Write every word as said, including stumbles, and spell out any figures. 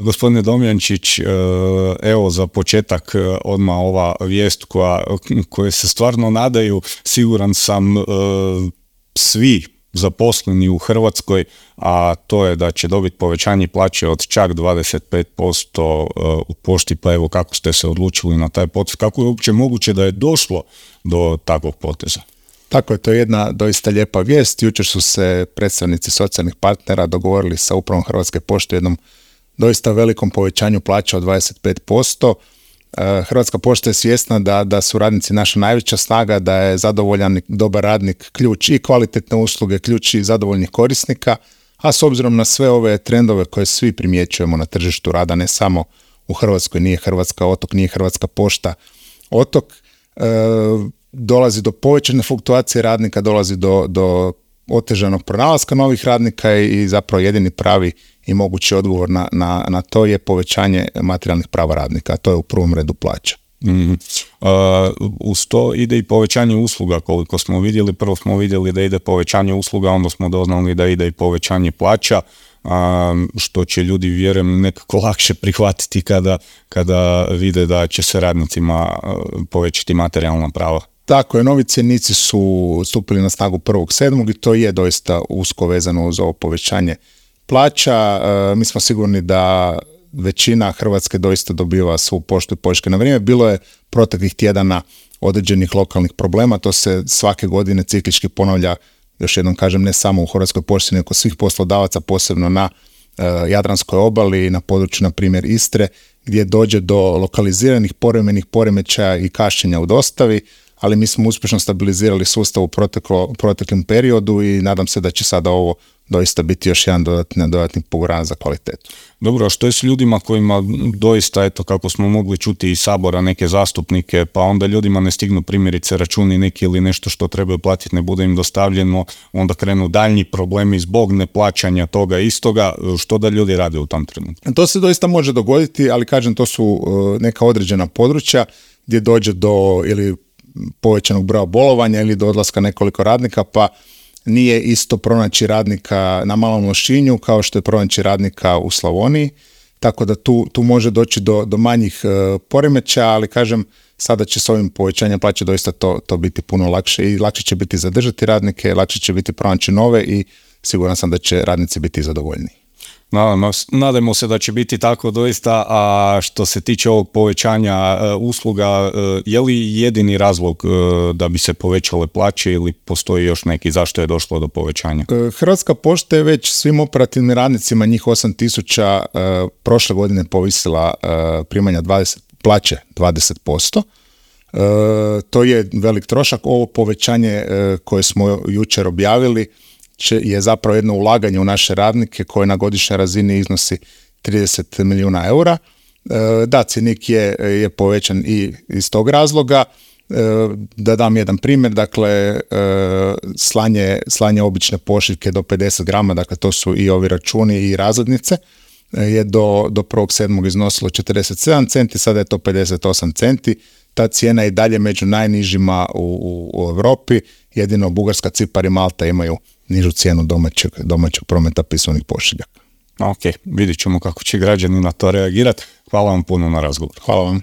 Gospodine Domjančić, evo za početak odmah ova vijest koja, koje se stvarno nadaju, siguran sam, svi zaposleni u Hrvatskoj, a to je da će dobiti povećanje plaće od čak dvadeset pet posto u pošti, pa evo kako ste se odlučili na taj potez, kako je uopće moguće da je došlo do takvog poteza? Tako je, to je jedna doista lijepa vijest. Jučer su se predstavnici socijalnih partnera dogovorili sa upravom Hrvatske pošte jednom doista velikom povećanju plaća od dvadeset pet posto. Hrvatska pošta je svjesna da, da su radnici naša najveća snaga, da je zadovoljan dobar radnik ključ i kvalitetne usluge, ključ i zadovoljnih korisnika, a s obzirom na sve ove trendove koje svi primjećujemo na tržištu rada, ne samo u Hrvatskoj, nije Hrvatska otok, nije Hrvatska pošta otok, e, dolazi do povećane fluktuacije radnika, dolazi do, do otežanog pronalaska novih radnika i zapravo jedini pravi i mogući odgovor na, na, na to je povećanje materijalnih prava radnika, a to je u prvom redu plaća. Mm-hmm. Uh, uz to ide i povećanje usluga, koliko smo vidjeli. Prvo smo vidjeli da ide povećanje usluga, onda smo doznali da ide i povećanje plaća, uh, što će ljudi, vjerujem, nekako lakše prihvatiti kada, kada vide da će se radnicima uh, povećati materijalna prava. Tako je, novi cjenici su stupili na snagu prvog sedmog i to je doista usko vezano uz ovo povećanje plaća. E, mi smo sigurni da većina Hrvatske doista dobiva svu poštu i pošiljke na vrijeme. Bilo je proteklih tjedana određenih lokalnih problema, to se svake godine ciklički ponavlja, još jednom kažem, ne samo u Hrvatskoj pošti, nego svih poslodavaca, posebno na e, Jadranskoj obali i na području, na primjer, Istre, gdje dođe do lokaliziranih povremenih poremećaja i kašnjenja u dostavi, ali mi smo uspješno stabilizirali sustav u proteklo, proteklom periodu i nadam se da će sada ovo doista biti još jedan dodatni, dodatni poguran za kvalitetu. Dobro, a što je s ljudima kojima doista, eto kako smo mogli čuti iz Sabora neke zastupnike, pa onda ljudima ne stignu primjerice računi neki ili nešto što trebaju platiti ne bude im dostavljeno, onda krenu daljnji problemi zbog neplaćanja toga istoga, što da ljudi rade u tom trenutku? To se doista može dogoditi, ali kažem, to su neka određena područja gdje dođe do ili povećanog broja bolovanja ili do odlaska nekoliko radnika, pa nije isto pronaći radnika na Malom Lošinju kao što je pronaći radnika u Slavoniji, tako da tu, tu može doći do, do manjih e, poremećaja, ali kažem, sada će s ovim povećanjem plaće doista to, to biti puno lakše i lakše će biti zadržati radnike, lakše će biti pronaći nove i siguran sam da će radnici biti zadovoljni. Nadamo, nadamo se da će biti tako doista, a što se tiče ovog povećanja uh, usluga, uh, je li jedini razlog uh, da bi se povećale plaće ili postoji još neki zašto je došlo do povećanja? Hrvatska pošta je već svim operativnim radnicima, njih osam tisuća, uh, prošle godine povisila uh, primanja dvadeset, plaće dvadeset posto. Uh, to je velik trošak. Ovo povećanje uh, koje smo jučer objavili je zapravo jedno ulaganje u naše radnike koje na godišnjoj razini iznosi trideset milijuna eura. Da, cjenik je, je povećan i iz tog razloga. Da dam jedan primjer, dakle, slanje, slanje obične pošiljke do pedeset grama, dakle to su i ovi računi i razglednice, je do, do prvog sedmog iznosilo četrdeset sedam centi, sada je to pedeset osam centi. Ta cijena je i dalje među najnižima u, u, u Europi, jedino Bugarska, Cipar i Malta imaju nižu cijenu domaćeg, domaćeg prometa pismenih pošiljaka. Ok, vidjet ćemo kako će građani na to reagirati. Hvala vam puno na razgovor. Hvala vam.